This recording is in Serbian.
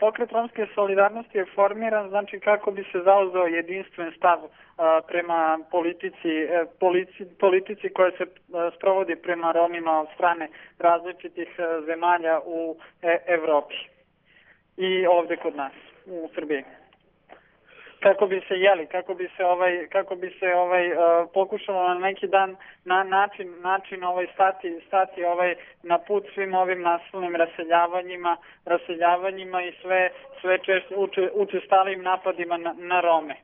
Pokret romske solidarnosti je formiran, znači kako bi se zauzeo jedinstven stav prema politici koja se sprovodi prema Romima od strane različitih zemalja u Evropi i ovde kod nas u Srbiji. Kako bi se pokušalo na neki dan način stati na put svim ovim nasilnim raseljavanjima i sve učestalijim napadima na Rome.